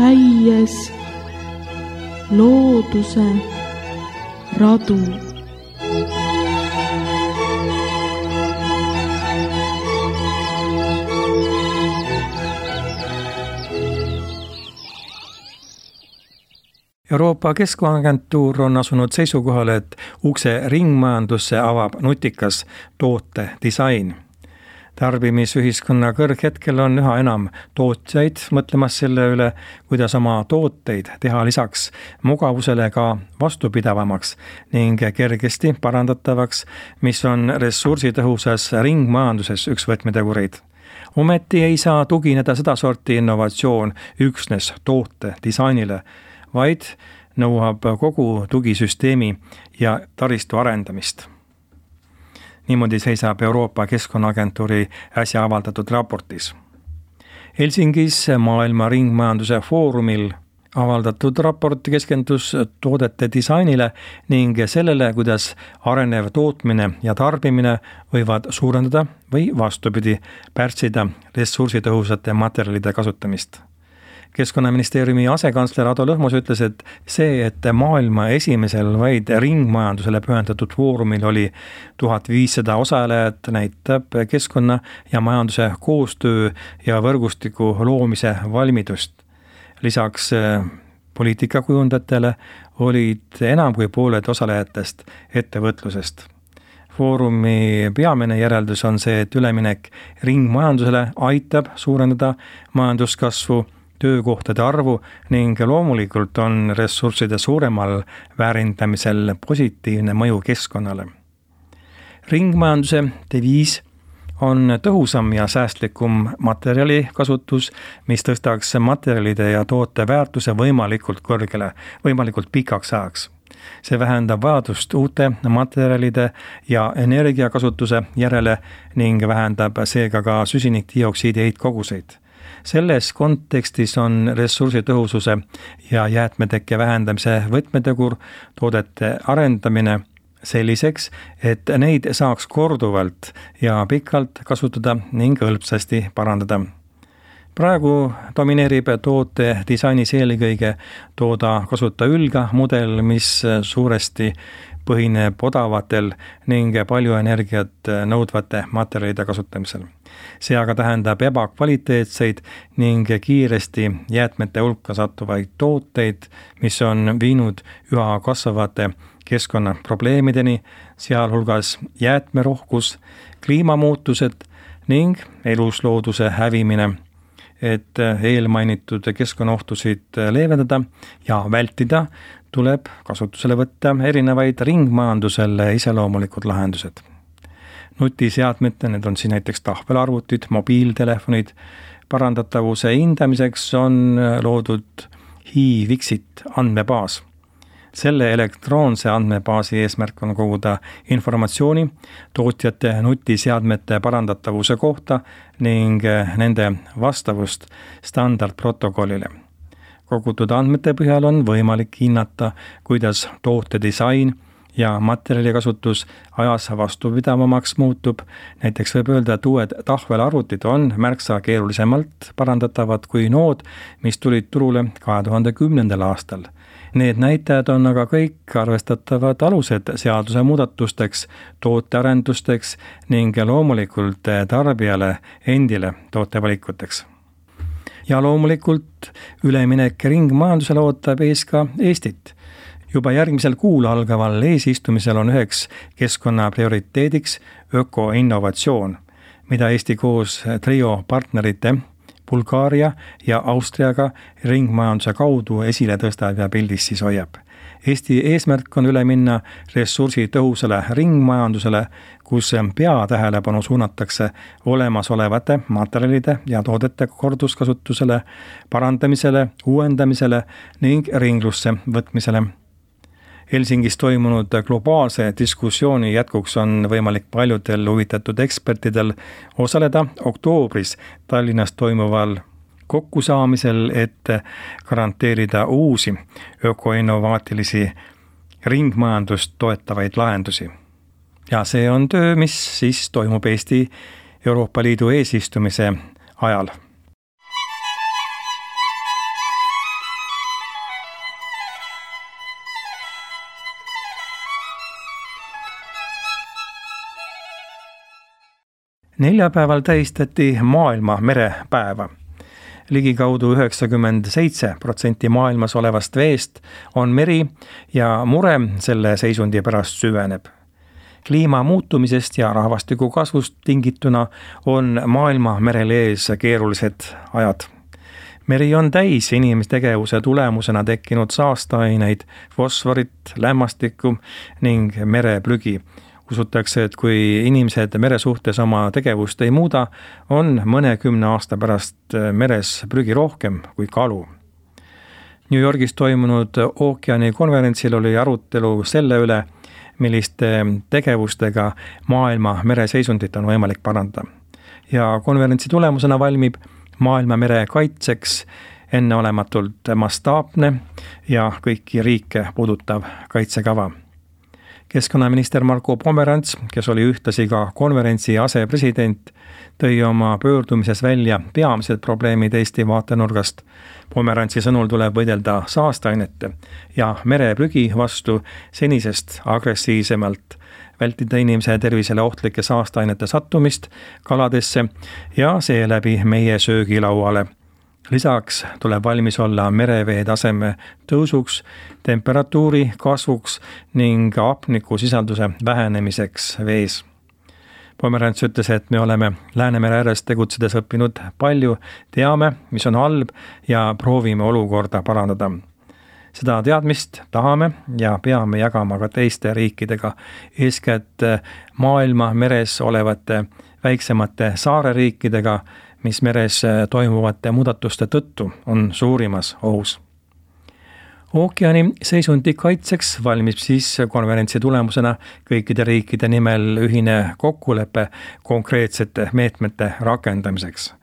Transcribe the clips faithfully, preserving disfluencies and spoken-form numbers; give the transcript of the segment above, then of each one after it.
käies looduse radu. Euroopa Keskkonnaagentuur on asunud seisukohale, et ukse ringmajandusse avab nutikas toote disain. Tarbimisühiskonna kõrghetkel on üha enam tootjaid mõtlemas selle üle, kuidas oma tooteid teha lisaks mugavusele ka vastupidavamaks ning kergesti parandatavaks, mis on ressursitõhusas ringmajanduses üks võtmetegureid. Ometi ei saa tugineda sedasorti innovatsioon üksnes toote disainile, vaid nõuab kogu tugisüsteemi ja taristu arendamist. Niimoodi seisab Euroopa Keskkonnaagentuuri äsja avaldatud raportis. Helsingis maailma ringmajanduse foorumil avaldatud raport keskendus toodete disainile ning sellele, kuidas arenev tootmine ja tarbimine võivad suurendada või vastupidi pärssida ressursitõhusate materjalide kasutamist. Keskkonnaministeeriumi asekantsler Ado Lõhmus ütles, et see, et maailma esimesel vaid ringmajandusele pühendatud foorumil oli tuhat viissada osalejat, näitab keskkonna ja majanduse koostöö ja võrgustiku loomise valmidust. Lisaks poliitikakujundajatele olid enam kui pooled osalejatest ettevõtlusest. Foorumi peamine järeldus on see, et üleminek ringmajandusele aitab suurendada majanduskasvu, töökohtade arvu ning loomulikult on ressursside suuremal väärindamisel positiivne mõju keskkonnale. Ringmajanduse deviis on tõhusam ja säästlikum materjali kasutus, mis tõstaks materjalide ja toote väärtuse võimalikult kõrgele, võimalikult pikaks ajaks. See vähendab vajadust uute materjalide ja energiakasutuse järele ning vähendab seega ka süsinikdioksiidi heitkoguseid. Selles kontekstis on ressursitõhususe ja jäätmetekke vähendamise võtmetegur toodete arendamine selliseks, et neid saaks korduvalt ja pikalt kasutada ning hõlpsasti parandada. Praegu domineerib toote disainis eelkõige tooda kasuta ülga mudel, mis suuresti põhineb odavatel ning palju energiat nõudvate materjalide kasutamisel. See aga tähendab ebakvaliteetseid ning kiiresti jäätmete hulka sattuvaid tooteid, mis on viinud üha kasvavate keskkonnaprobleemideni, sealhulgas jäätmerohkus, kliimamuutused ning eluslooduse hävimine. Et eelmainitud keskkonnaohtusid leevendada ja vältida, tuleb kasutusele võtta erinevaid ringmajandusele iseloomulikud lahendused. Nutiseadmete, need on siin näiteks tahvelarvutid, mobiiltelefonid, parandatavuse hindamiseks on loodud HiVixit andmebaas. Selle elektroonse andmebaasi eesmärk on koguda informatsiooni tootjate nutiseadmete parandatavuse kohta ning nende vastavust standardprotokollile. Kogutud andmete põhjal on võimalik hinnata, kuidas toote disain ja materjalikasutus ajas vastupidavamaks muutub. Näiteks võib öelda, et uued tahvelarvutid on märksa keerulisemalt parandatavad kui nood, mis tulid turule kahe tuhande kümnendal aastal. Need näitajad on aga kõik arvestatavad alused seaduse muudatusteks, tootearendusteks ning loomulikult tarbijale endile tootevalikuteks. Ja loomulikult üleminek ringmajandusele ootab ees ka Eestit. Juba järgmisel kuul algaval eesistumisel on üheks keskkonna prioriteediks ökoinnovatsioon, mida Eesti koos trio partnerite Bulgaaria ja Austriaga ringmajanduse kaudu esile tõstab ja pildis siis hoiab. Eesti eesmärk on üle minna ressursi tõhusale ringmajandusele, kus peatähelepanu suunatakse olemasolevate materjalide ja toodete korduskasutusele, parandamisele, uuendamisele ning ringlusse võtmisele. Helsingis toimunud globaalse diskussiooni jätkuks on võimalik paljudel huvitatud ekspertidel osaleda oktoobris Tallinnas toimuval kokkusaamisel, et garanteerida uusi ökoinnovaatilisi ringmajandust toetavaid lahendusi. Ja see on töö, mis siis toimub Eesti Euroopa Liidu eesistumise ajal. Neljapäeval tähistati maailma merepäeva. Ligikaudu üheksakümmend seitse protsenti maailmas olevast veest on meri ja mure selle seisundi pärast süveneb. Kliima muutumisest ja rahvastiku kasvust tingituna on maailma merel ees keerulised ajad. Meri on täis inimestegevuse tulemusena tekkinud saasteaineid, fosforit, lämmastikku ning mereprügi. Usutakse, et kui inimesed mere suhtes oma tegevust ei muuda, on mõnekümne aasta pärast meres prügi rohkem kui kalu. New Yorgis toimunud ookeanikonverentsil oli arutelu selle üle, milliste tegevustega maailma mereseisundit on võimalik parandada. Ja konverentsi tulemusena valmib maailma mere kaitseks enneolematult mastaapne ja kõiki riike puudutav kaitsekava. Keskkonnaminister Marko Pomerants, kes oli ühtlasi ka konverentsi asepresident, tõi oma pöördumises välja peamised probleemid Eesti vaatenurgast. Pomerantsi sõnul tuleb võidelda saasteainete ja mereprügi vastu senisest agressiivsemalt, vältida inimese tervisele ohtlike saasteainete sattumist kaladesse ja seeläbi meie söögilauale. Lisaks tuleb valmis olla merevee taseme tõusuks, temperatuuri kasvuks ning hapnikusisalduse vähenemiseks vees. Pomerants ütles, et me oleme Läänemere ääres tegutsedes õppinud palju, teame, mis on halb ja proovime olukorda parandada. Seda teadmist tahame ja peame jagama ka teiste riikidega, eeskätt maailma meres olevate väiksemate saareriikidega, mis meres toimuvate muudatuste tõttu on suurimas ohus. Ookeani seisundi kaitseks valmib siis konverentsi tulemusena kõikide riikide nimel ühine kokkulepe konkreetsete meetmete rakendamiseks.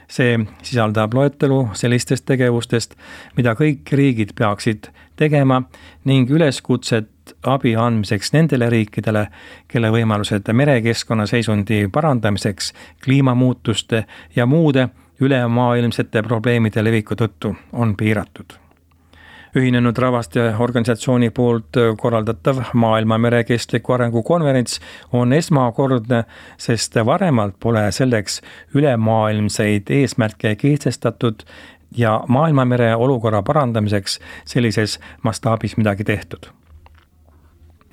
See sisaldab loetelu sellistest tegevustest, mida kõik riigid peaksid tegema ning üleskutset abi andmiseks nendele riikidele, kelle võimalused merekeskkonna seisundi parandamiseks, kliimamuutuste ja muude ülemaailmsete probleemide leviku tõttu on piiratud. Ühinenud Rahvaste organisatsiooni poolt korraldatav maailma merekestliku arengu konverents on esmakordne, sest varemalt pole selleks ülemaailmseid eesmärke kehtestatud ja maailmamere olukorra parandamiseks sellises mastaabis midagi tehtud.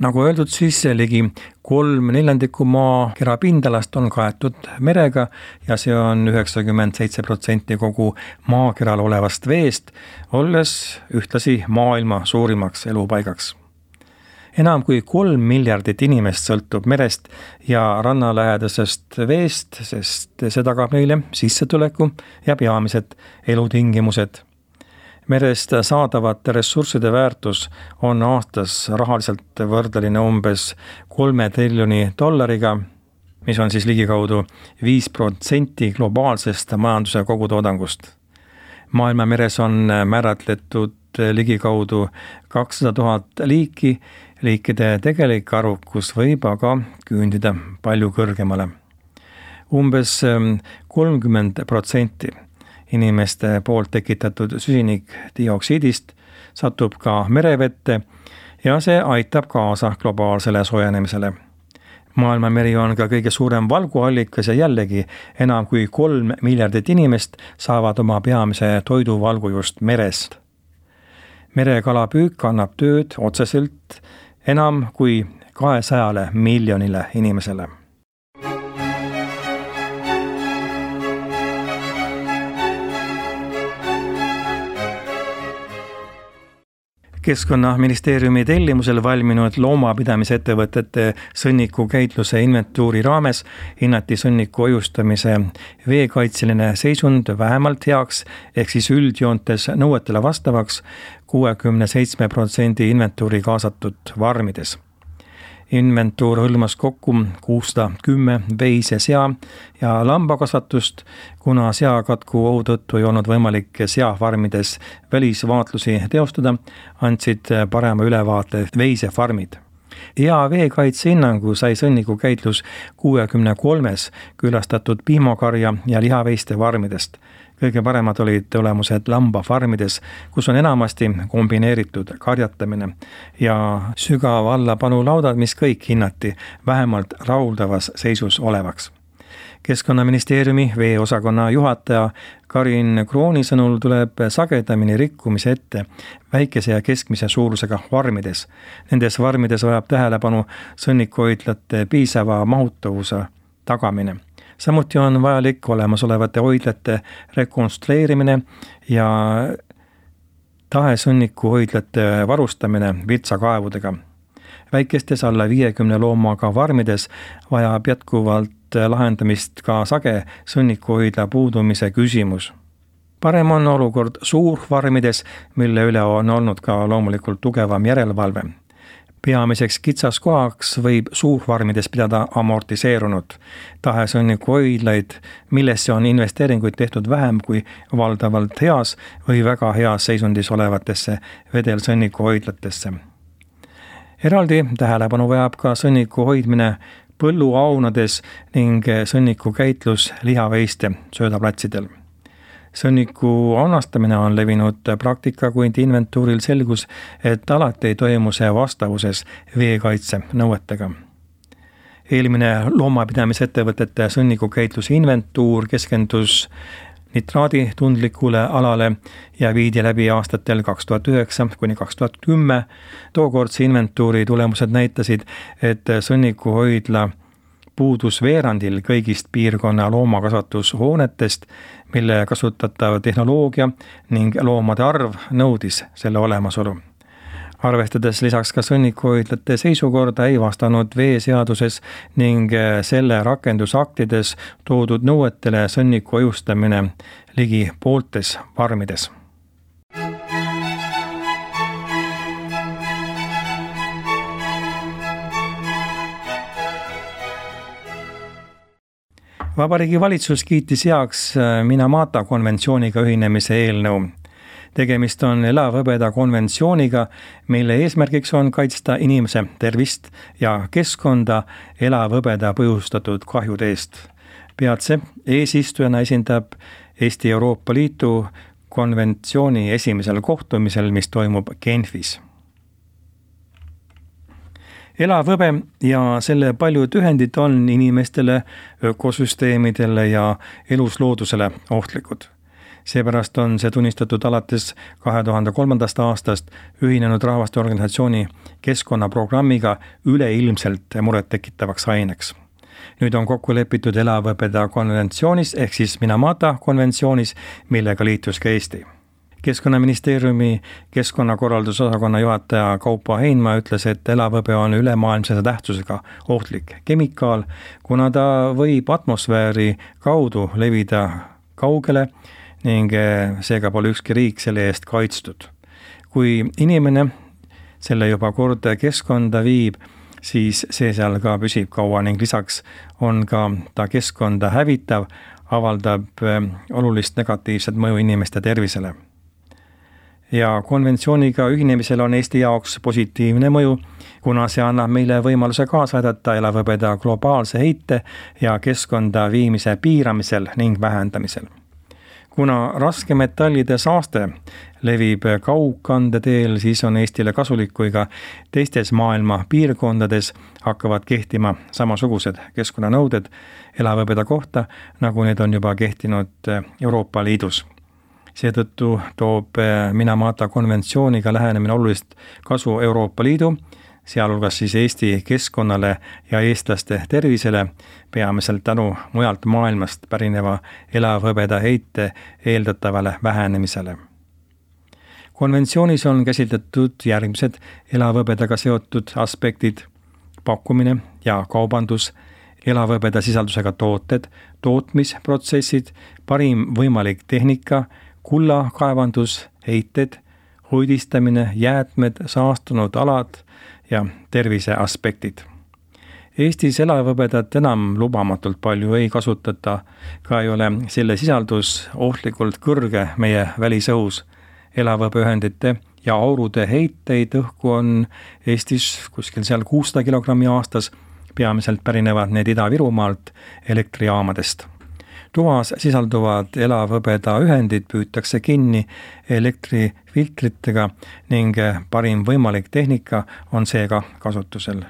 Nagu öeldud, siis ligi kolm neljandikku maakera pindalast on kaetud merega ja see on üheksakümmend seitse protsenti kogu maakeral olevast veest, olles ühtlasi maailma suurimaks elupaigaks. Enam kui kolm miljardit inimest sõltub merest ja rannalähedasest veest, sest see tagab neile sissetuleku ja peamised elutingimused. Merest saadavate ressursside väärtus on aastas rahaliselt võrdeline umbes kolme triljoni dollariga, mis on siis ligikaudu viis protsenti globaalsest majanduse kogutoodangust. Maailma meres on määratletud ligikaudu kakssada tuhat liiki, liikide tegelik arvukus võib aga küündida palju kõrgemale. Umbes kolmkümmend protsenti inimeste poolt tekitatud süsinikdioksiidist satub ka merevette ja see aitab kaasa globaalsele soojenemisele. Maailma meri on ka kõige suurem valguallikas ja jällegi enam kui kolm miljardit inimest saavad oma peamise toiduvalgu just merest. Merekalapüük annab tööd otseselt enam kui kahesajale miljonile inimesele. Keskkonnaministeeriumi tellimusel valminud loomapidamisettevõtete sõnnikukäitluse inventuuri raames hinnati sõnniku hoiustamise veekaitseline seisund vähemalt heaks ehk siis üldjoontes nõuetele vastavaks kuuekümne seitsme protsendi inventuuri kaasatud farmides. Inventuur hõlmas kokku kuussada kümme veise sea ja lambakasvatust, kuna seakatku ohu tõttu ei olnud võimalik seafarmides välisvaatlusi teostada, andsid parema ülevaate veisefarmid. Hea veekaitse hinnangu sai sõnnikukäitlus kuuekümne kolmes külastatud piimakarja ja lihaveiste farmidest. Kõige paremad olid tulemused lambafarmides, kus on enamasti kombineeritud karjatamine ja sügav allapanulaudad, mis kõik hinnati vähemalt rahuldavas seisus olevaks. Keskkonnaministeeriumi veeosakonna juhataja Karin Krooni sõnul tuleb sagedamini rikkumise ette väikese ja keskmise suurusega varmides. Nendes varmides vajab tähelepanu sõnnikuhoidlate piisava mahutavuse tagamine. Samuti on vajalik olemasolevate hoidlate rekonstrueerimine ja tahesõnnikuhoidlate varustamine virtsakaevudega. Väikestes alla viiekümne loomaga varmides vajab jätkuvalt lahendamist ka sage sõnnikuhoidla puudumise küsimus. Parem on olukord suurvarmides, mille üle on olnud ka loomulikult tugevam järelevalve. Peamiseks kitsaskohaks võib suurvarmides pidada amortiseerunud tahesõnnikuhoidlaid, millesse on investeeringuid tehtud vähem kui valdavalt heas või väga heas seisundis olevatesse vedelsõnnikuhoidlatesse. Eraldi tähelepanu vajab ka sõnniku hoidmine põlluaunades ning sõnniku käitlus lihaveiste söödaplatsidel. Sõnniku annastamine on levinud praktika, kuid inventuuril selgus, et alati ei toimu see vastavuses veekaitse nõuetega. Eelmine loomapidamisettevõtete sõnnikukäitluse inventuur keskendus nitraadi tundlikule alale ja viidi läbi aastatel kaks tuhat üheksa kuni kaks tuhat kümme. Tookordse inventuuri tulemused näitasid, et sõnnikuhoidla puudus veerandil kõigist piirkonna loomakasvatushoonetest, mille kasutatav tehnoloogia ning loomade arv nõudis selle olemasolu. Arvestades lisaks ka sõnnikuhoidlate seisukorda ei vastanud veeseaduses ning selle rakendusaktides toodud nõuetele sõnniku hoiustamine ligi pooltes varmides. Vabariigi valitsus kiitis heaks Minamata konventsiooniga ühinemise eelnõu. Tegemist on elavhõbeda konventsiooniga, mille eesmärgiks on kaitsta inimese tervist ja keskkonda elavhõbeda põhjustatud kahjude eest. Peatse eesistujana esindab Eesti Euroopa Liidu konventsiooni esimesel kohtumisel, mis toimub Genfis. Elavhõbe ja selle paljud ühendid on inimestele, ökosüsteemidele ja elusloodusele ohtlikud. Seepärast on see tunnistatud alates kahe tuhande kolmandast aastast Ühinenud Rahvaste Organisatsiooni keskkonnaprogrammiga üleilmselt muret tekitavaks aineks. Nüüd on kokku lepitud elavhõbeda konventsioonis ehk siis Minamata konventsioonis, millega liitus ka Eesti. Keskkonnaministeeriumi keskkonnakorraldusosakonna juhataja Kaupo Heinma ütles, et elavhõbe on ülemaailmse tähtsusega ohtlik kemikaal, kuna ta võib atmosfääri kaudu levida kaugele ning seega pole ükski riik selle eest kaitstud. Kui inimene selle juba kord keskkonda viib, siis see seal ka püsib kaua ning lisaks on ka ta keskkonda hävitav, avaldab olulist negatiivset mõju inimeste tervisele. Ja konventsiooniga ühinemisel on Eesti jaoks positiivne mõju, kuna see annab meile võimaluse kaasa aidata elavhõbeda globaalse heite ja keskkonda viimise piiramisel ning vähendamisel. Kuna raskemetallide saaste levib kaugkandeteel, siis on Eestile kasulik, kui ka teistes maailma piirkondades hakkavad kehtima samasugused keskkonnanõuded elavhõbeda kohta, nagu need on juba kehtinud Euroopa Liidus. Seetõttu toob Minamata konventsiooniga lähenemine olulist kasu Euroopa Liidu, sealhulgas siis Eesti keskkonnale ja eestlaste tervisele, peamiselt tänu mujalt maailmast pärineva elavhõbeda heite eeldatavale vähenemisele. Konventsioonis on käsitletud järgmised elavhõbedaga seotud aspektid: pakkumine ja kaubandus, elavhõbeda sisaldusega tooted, tootmisprotsessid, parim võimalik tehnika, kullakaevandus, heited, hoidistamine, jäätmed, saastunud alad ja tervise aspektid. Eestis elavhõbedat enam lubamatult palju ei kasutata, ka ei ole selle sisaldus ohtlikult kõrge meie välisõhus. Elavhõbeühendite ja aurude heiteid õhku on Eestis kuskil seal kuussada kilogrammi aastas, peamiselt pärinevad need Ida-Virumaalt elektrijaamadest. Tuhas sisalduvad elavhõbeda ühendid püütakse kinni elektrifiltritega ning parim võimalik tehnika on seega kasutusel.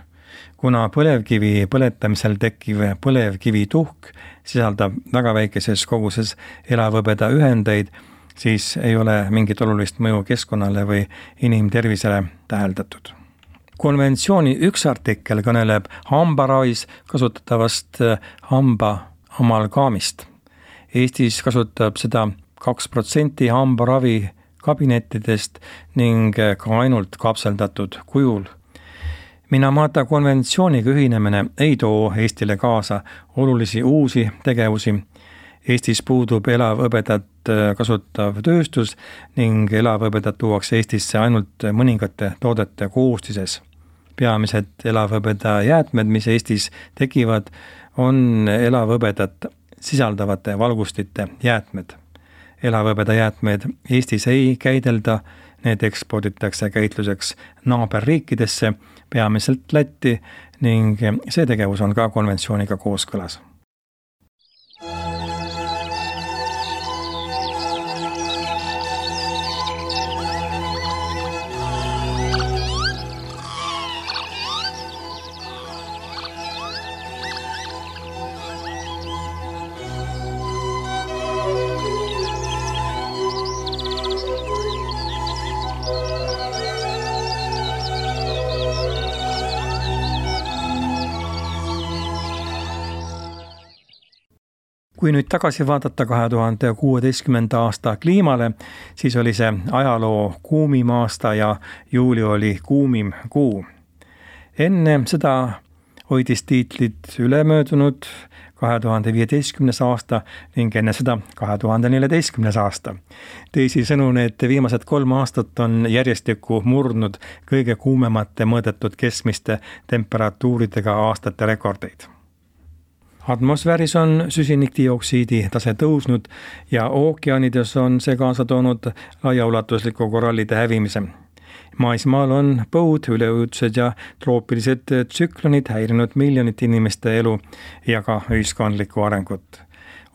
kuna põlevkivi põletamisel tekkiv põlevkivituhk sisaldab väga väikeses koguses elavhõbeda ühendeid, siis ei ole mingit olulist mõju keskkonnale või inimtervisele täheldatud. Konventsiooni üks artikkel kõneleb hambaravis kasutatavast hamba amalgaamist. Eestis kasutab seda kaks protsenti hambaravi kabinettidest ning ka ainult kapseldatud kujul. Minamata konventsiooniga ühinemine ei too Eestile kaasa olulisi uusi tegevusi. Eestis puudub elavhõbedat kasutav tööstus ning elavhõbedat tuuakse Eestisse ainult mõningate toodete koostises. Peamised elavhõbeda jäätmed, mis Eestis tekivad, on elavhõbedat sisaldavate valgustite jäätmed. Elavhõbeda jäätmed Eestis ei käidelda, need eksporditakse käitluseks naaberriikidesse, peamiselt Lätti ning see tegevus on ka konventsiooniga kooskõlas. Kui nüüd tagasi vaadata kahe tuhande kuueteistkümnenda aasta kliimale, siis oli see ajaloo kuumim aasta ja juuli oli kuumim kuu. Enne seda hoidis tiitlit ülemöödunud kahe tuhande viieteistkümnes aasta ning enne seda kahe tuhande neljateistkümnes aasta. Teisisõnu, need viimased kolm aastat on järjestikku murdnud kõige kuumemate mõõdetud keskmiste temperatuuridega aastate rekordeid. Atmosfääris on süsinikdioksiidi tase tõusnud ja ookeanides on see kaasa toonud laiaulatusliku korallide hävimise. Maismaal on põud, üleujutused ja troopilised tsüklonid häirinud miljonite inimeste elu ja ka ühiskondlikku arengut.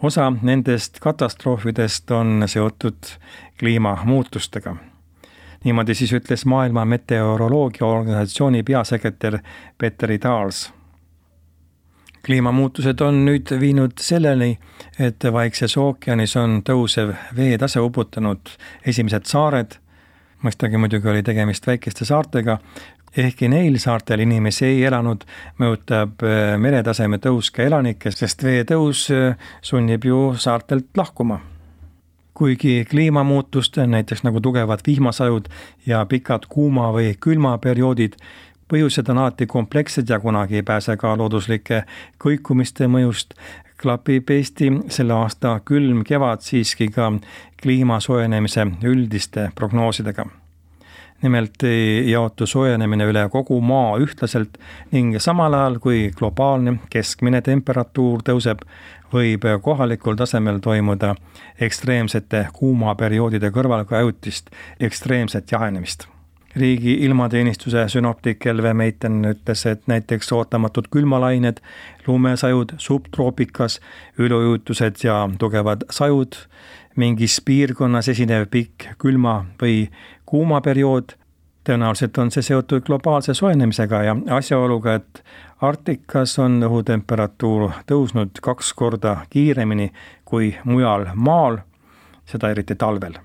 Osa nendest katastroofidest on seotud kliimamuutustega. Niimoodi siis ütles Maailma Meteoroloogia Organisatsiooni peasekretär Petteri Taals. Kliimamuutused on nüüd viinud selleni, et Vaikses ookeanis on tõusev veetase uputanud esimesed saared. Mõistagi muidugi oli tegemist väikeste saartega, ehkki neil saartel inimesi ei elanud, mõjutab meretaseme tõus ka elanikke, sest veetõus sunnib ju saartelt lahkuma. Kuigi kliimamuutust, näiteks nagu tugevad vihmasajud ja pikad kuuma või külmaperioodid, põhjused on alati komplekssed ja kunagi ei pääse ka looduslike kõikumiste mõjust, klapib Eesti selle aasta külm kevad siiski ka kliima soojenemise üldiste prognoosidega. Nimelt ei jaotu soojenemine üle kogu maa ühtlaselt ning samal ajal, kui globaalne keskmine temperatuur tõuseb, võib kohalikul tasemel toimuda ekstreemsete kuumaperioodide kõrval ka ajutist ekstreemset jahenemist. Riigi ilmateenistuse sünoptik Elve Meiten ütles, et näiteks ootamatud külmalained, lumesajud, subtroopikas, üleujutused ja tugevad sajud, mingis piirkonnas esinev pikk külma või kuuma periood, tõenäoliselt on see seotud globaalse soojenemisega ja asjaoluga, et Arktikas on õhutemperatuur tõusnud kaks korda kiiremini kui mujal maal, seda eriti talvel.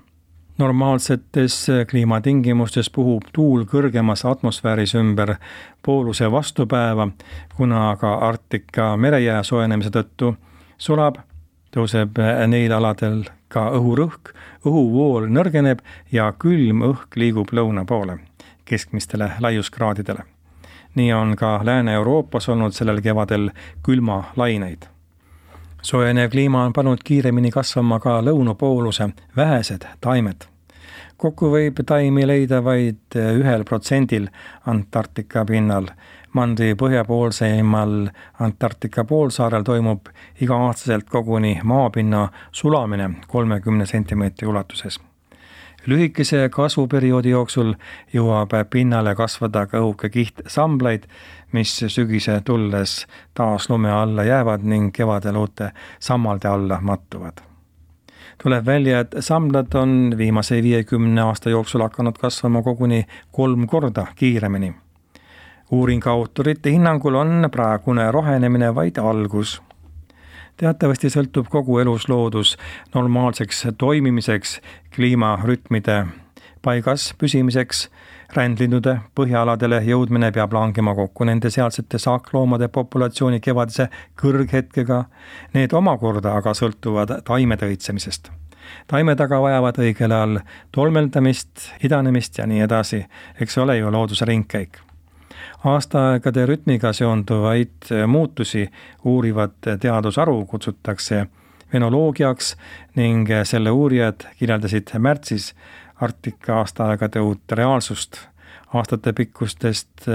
Normaalsetes kliimatingimustes puhub tuul kõrgemas atmosfääris ümber pooluse vastupäeva, kuna aga Arktika merejää soojenemise tõttu sulab, tõuseb neil aladel ka õhurõhk, õhuvool nõrgeneb ja külm õhk liigub lõuna poole, keskmistele laiuskraadidele. Nii on ka Lääne-Euroopas olnud sellel kevadel külma laineid. Soojenev kliima on pannud kiiremini kasvama ka lõunapooluse vähesed taimed. Kokku võib taimi leida vaid ühel protsendil Antarktika pinnal. Mandri põhjapoolseimal Antarktika poolsaarel toimub iga-aastaselt koguni maapinna sulamine kolmekümne sentimeetri ulatuses. Lühikese kasvuperioodi jooksul jõuab pinnale kasvada ka õhuke kiht samblaid, mis sügise tulles taas lume alla jäävad ning kevadel uute sammalde alla mattuvad. Tuleb välja, et samblad on viimase viiekümne aasta jooksul hakanud kasvama koguni kolm korda kiiremini. uuringu autorite hinnangul on praegune rohenemine vaid algus. Teatavasti sõltub kogu elusloodus normaalseks toimimiseks, kliimarütmide paigas püsimiseks, rändlindude põhjaaladele jõudmine peab langema kokku nende sealsete saakloomade populatsiooni kevadise kõrghetkega. Need omakorda aga sõltuvad taimede õitsemisest. Taimed aga vajavad õigel ajal tolmeldamist, idanemist ja nii edasi, eks ole ju looduse ringkäik. Aastaaegade rütmiga seonduvaid muutusi uurivat teadusaru kutsutakse venoloogiaks ning selle uurijad kirjeldasid märtsis Arktika aastaaegade uut reaalsust. Aastate pikkustest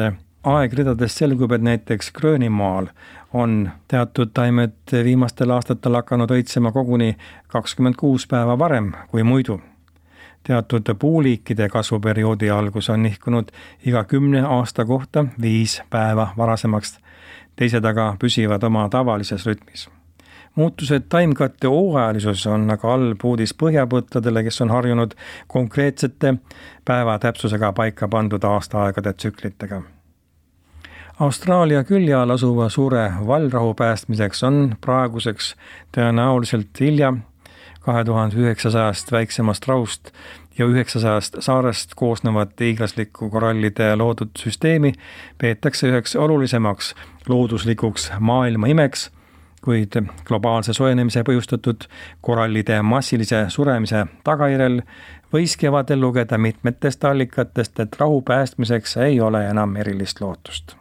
aegridadest selgub, et näiteks Gröönimaal on teatud taimed viimastel aastatel hakanud õitsema koguni kakskümmend kuus päeva varem kui muidu. Teatud puuliikide kasvuperioodi algus on nihkunud iga kümne aasta kohta viis päeva varasemaks, teised aga püsivad oma tavalises rütmis. Muutused taimkatte hooajalisus on aga halb uudis põhjapõttadele, kes on harjunud konkreetsete päeva täpsusega paika pandud aastaaegade tsüklitega. Austraalia külje all asuva suure vallrahu päästmiseks on praeguseks tõenäoliselt hilja. kahe tuhande üheksasajast väiksemast rahust ja üheksasajast saarest koosnevat hiiglaslikku korallide loodud süsteemi peetakse üheks olulisemaks looduslikuks maailma imeks, kuid globaalse soojenemise põhjustatud korallide massilise suremise tagajärjel võis kevadel lugeda mitmetest allikatest, et rahu päästmiseks ei ole enam erilist lootust.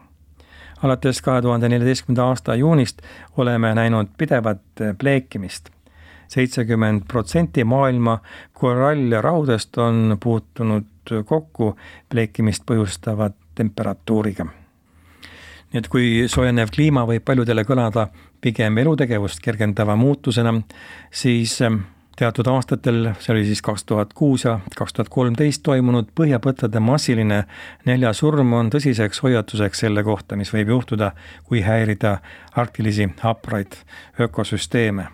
Alates kahe tuhande neljateistkümnenda aasta juunist oleme näinud pidevat pleekimist. seitsekümmend protsenti maailma korallrahudest on puutunud kokku pleekimist põhjustavat temperatuuriga. Nii et kui soojenev kliima võib paljudele kõlada pigem elutegevust kergendava muutusena, siis teatud aastatel, see oli siis kaks tuhat kuus ja kaks tuhat kolmteist toimunud põhjapõttade massiline näljasurm on tõsiseks hoiatuseks selle kohta, mis võib juhtuda, kui häirida arktilisi hapraid ökosüsteeme.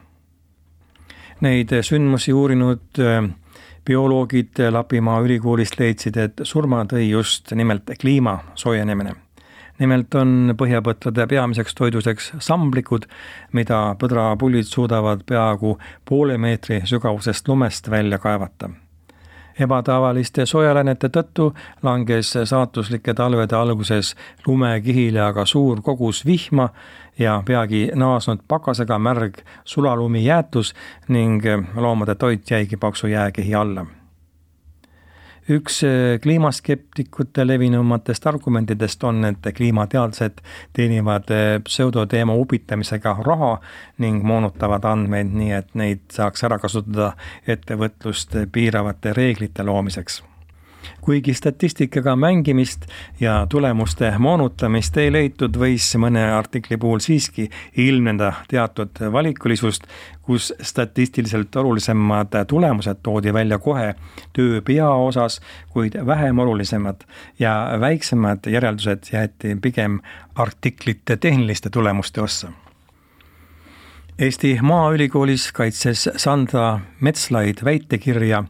Neid sündmusi uurinud bioloogid Lapimaa ülikoolist leidsid, et surma tõi just nimelt kliima soojenemine. Nimelt on põhjapõtrade peamiseks toiduseks samblikud, mida põdrapullid suudavad peaaegu poole meetri sügavusest lumest välja kaevata. Ebatavaliste soojaläinete tõttu langes saatuslike talvede alguses lumekihile aga suur kogus vihma ja peagi naasnud pakasega märg sulalumi jäätus ning loomade toit jäigi paksu jääkehi alla. Üks kliimaskeptikute levinumatest argumentidest on, et kliimateadlased teenivad pseudoteema upitamisega raha ning moonutavad andmeid nii, et neid saaks ära kasutada ettevõtlust piiravate reeglite loomiseks. Kuigi statistikaga mängimist ja tulemuste moonutamist ei leitud, võis mõne artikli puhul siiski ilmneda teatud valikulisust, kus statistiliselt olulisemad tulemused toodi välja kohe töö pea osas, kuid vähem olulisemad ja väiksemad järeldused jäeti pigem artiklite tehniliste tulemuste ossa. Eesti Maaülikoolis kaitses Sandra Metslaid väitekirja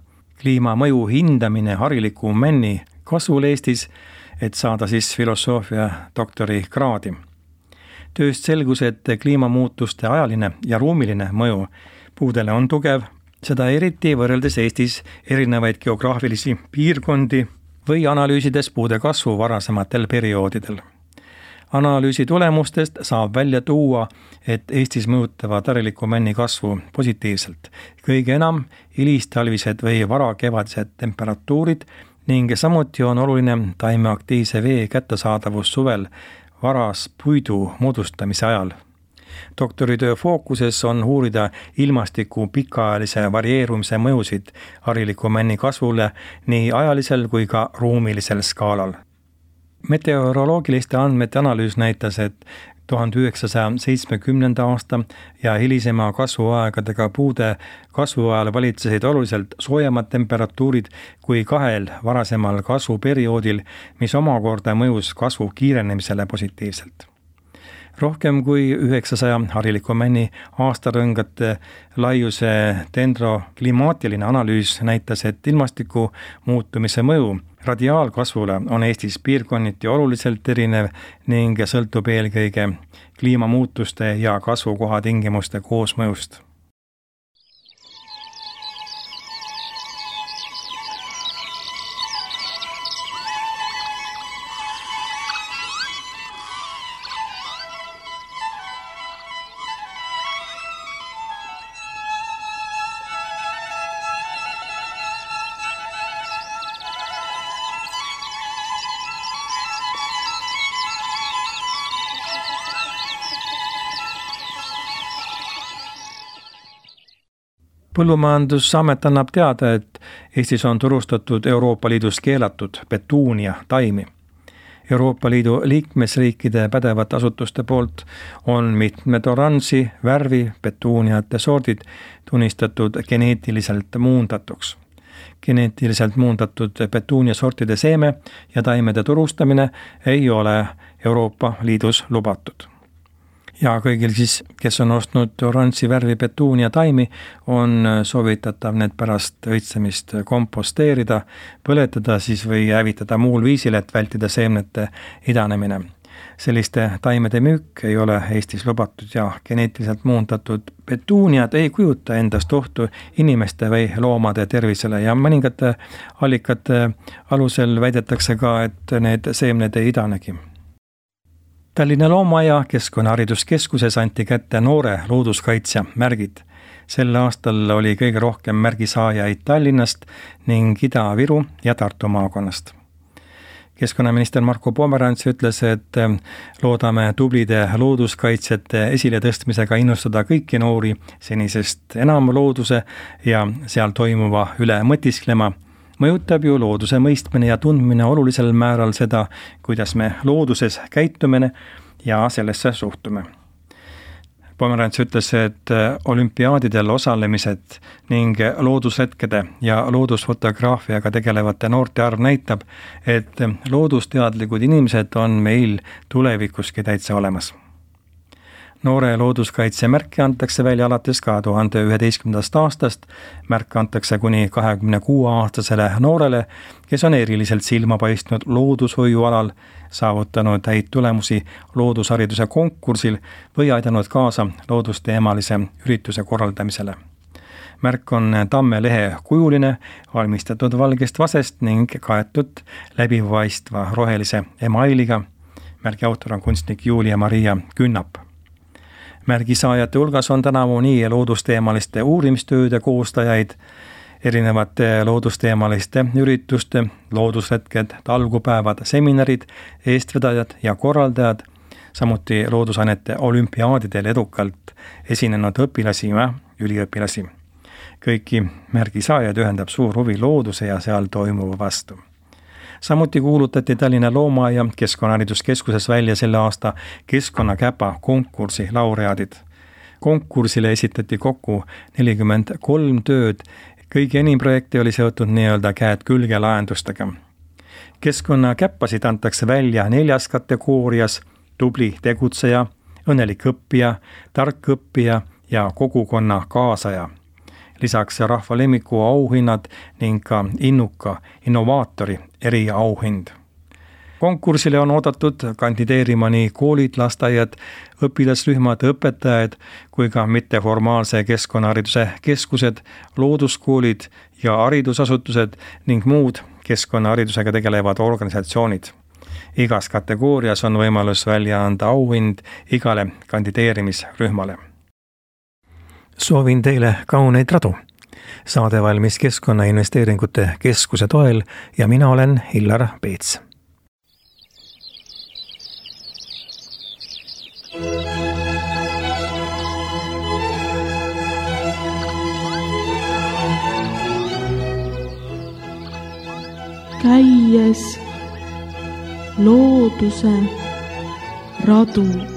kliimamõju hindamine hariliku männi kasvul Eestis, et saada siis filosoofia doktori kraadi. Tööst selgus, et kliimamuutuste ajaline ja ruumiline mõju puudele on tugev, seda eriti võrreldes Eestis erinevaid geograafilisi piirkondi või analüüsides puude kasvu varasematel perioodidel. Analüüsi tulemustest saab välja tuua, et Eestis mõjutavad hariliku männi kasvu positiivselt. Kõige enam hilistalvised või varakevadised temperatuurid ning samuti on oluline taimeaktiivse vee kättesaadavus suvel varas puidu moodustamise ajal. Doktoritöö fookuses on uurida ilmastiku pikaajalise varieerumise mõjusid hariliku männi kasvule nii ajalisel kui ka ruumilisel skaalal. Meteoroloogiliste andmete analüüs näitas, et tuhande üheksasaja seitsmekümnenda aasta ja hilisema kasvuaegadega puude kasvuajal valitsesid oluliselt soojemad temperatuurid kui kahel varasemal kasvuperioodil, mis omakorda mõjus kasvu kiirenemisele positiivselt. Rohkem kui üheksasaja hariliku männi aastarõngate laiuse dendroklimaatiline analüüs näitas, et ilmastiku muutumise mõju Radiaalkasvule on Eestis piirkonniti oluliselt erinev ning sõltub eelkõige kliimamuutuste ja kasvukoha tingimuste koosmõjust. Põllumajandusamet annab teada, et Eestis on turustatud Euroopa Liidus keelatud petuunia taimi. Euroopa Liidu liikmesriikide pädevat asutuste poolt on mitmed oranži värvi petuuniate sordid tunnistatud geneetiliselt muundatuks. Geneetiliselt muundatud petuunia sortide seeme ja taimede turustamine ei ole Euroopa Liidus lubatud. Ja kõigil siis, kes on ostnud oranži värvi petuunia taimi, on soovitatav need pärast õitsemist komposteerida, põletada siis või hävitada muul viisil, et vältida seemnete idanemine. Selliste taimede müük ei ole Eestis lubatud ja geneetiliselt muundatud petuuniad ei kujuta endast ohtu inimeste või loomade tervisele ja mõningate allikate alusel väidetakse ka, et need seemned ei idanegi. Tallinna Loomaaia Keskkonnahariduskeskuses anti kätte noore looduskaitsja märgid. Sel aastal oli kõige rohkem märgisaajaid Tallinnast ning Ida-Viru ja Tartu maakonnast. Keskkonnaminister Marko Pomerants ütles, et loodame tublide looduskaitsjate esiletõstmisega innustada kõiki noori senisest enam looduse ja seal toimuva üle mõtisklema. Mõjutab ju looduse mõistmine ja tundmine olulisel määral seda, kuidas me looduses käitumine ja sellesse suhtume. Pomerants ütles, et olümpiaadidel osalemised ning loodushetkede ja loodusfotograafiaga tegelevate noorte arv näitab, et loodusteadlikud inimesed on meil tulevikuski täitsa olemas. Noore looduskaitse märke antakse välja alates kahe tuhande üheteistkümnendast aastast. Märk antakse kuni kahekümne kuue aastasele noorele, kes on eriliselt silma paistnud loodushoiualal, saavutanud häid tulemusi loodushariduse konkursil või aidanud kaasa loodusteemalise ürituse korraldamisele. Märk on tammelehe kujuline, valmistatud valgest vasest ning kaetud läbipaistva rohelise emailiga. Märgi autor on kunstnik Julia-Maria Künnap. Märgisaajate hulgas on tänavu nii loodusteemaliste uurimistööde koostajaid, erinevate loodusteemaliste ürituste, loodushetked, talgupäevad, seminarid, eestvedajad ja korraldajad, samuti loodusainete olümpiaadidel edukalt esinenud õpilasi ja üliõpilasi. Kõiki märgisaajaid ühendab suur huvi looduse ja seal toimuva vastu. Samuti kuulutati Tallinna Loomaaia Keskkonnahariduskeskuses välja selle aasta Keskkonnakäpa konkursi laureaadid. Konkursile esitati kokku nelikümmend kolm tööd, kõigi enim projekti oli seotud nii-öelda käed külge lahendustega. Keskkonnakäppasid antakse välja neljas kategoorias: tubli tegutseja, õnnelik õppija, tark õppija ja kogukonna kaasaja. Lisaks rahva lemmiku auhinnad ning ka innuka innovaatori eriauhind. Konkursile on oodatud kandideerima nii koolid, lasteaiad, õpilasrühmad, õpetajad kui ka mitteformaalse keskkonnahariduse keskused, looduskoolid ja haridusasutused ning muud keskkonnaharidusega tegelevad organisatsioonid. Igas kategoorias on võimalus välja anda auhind igale kandideerimisrühmale. Soovin teile kauneid radu. Saade valmis Keskkonnainvesteeringute Keskuse toel ja mina olen Hillar Peets. Käies looduse radu.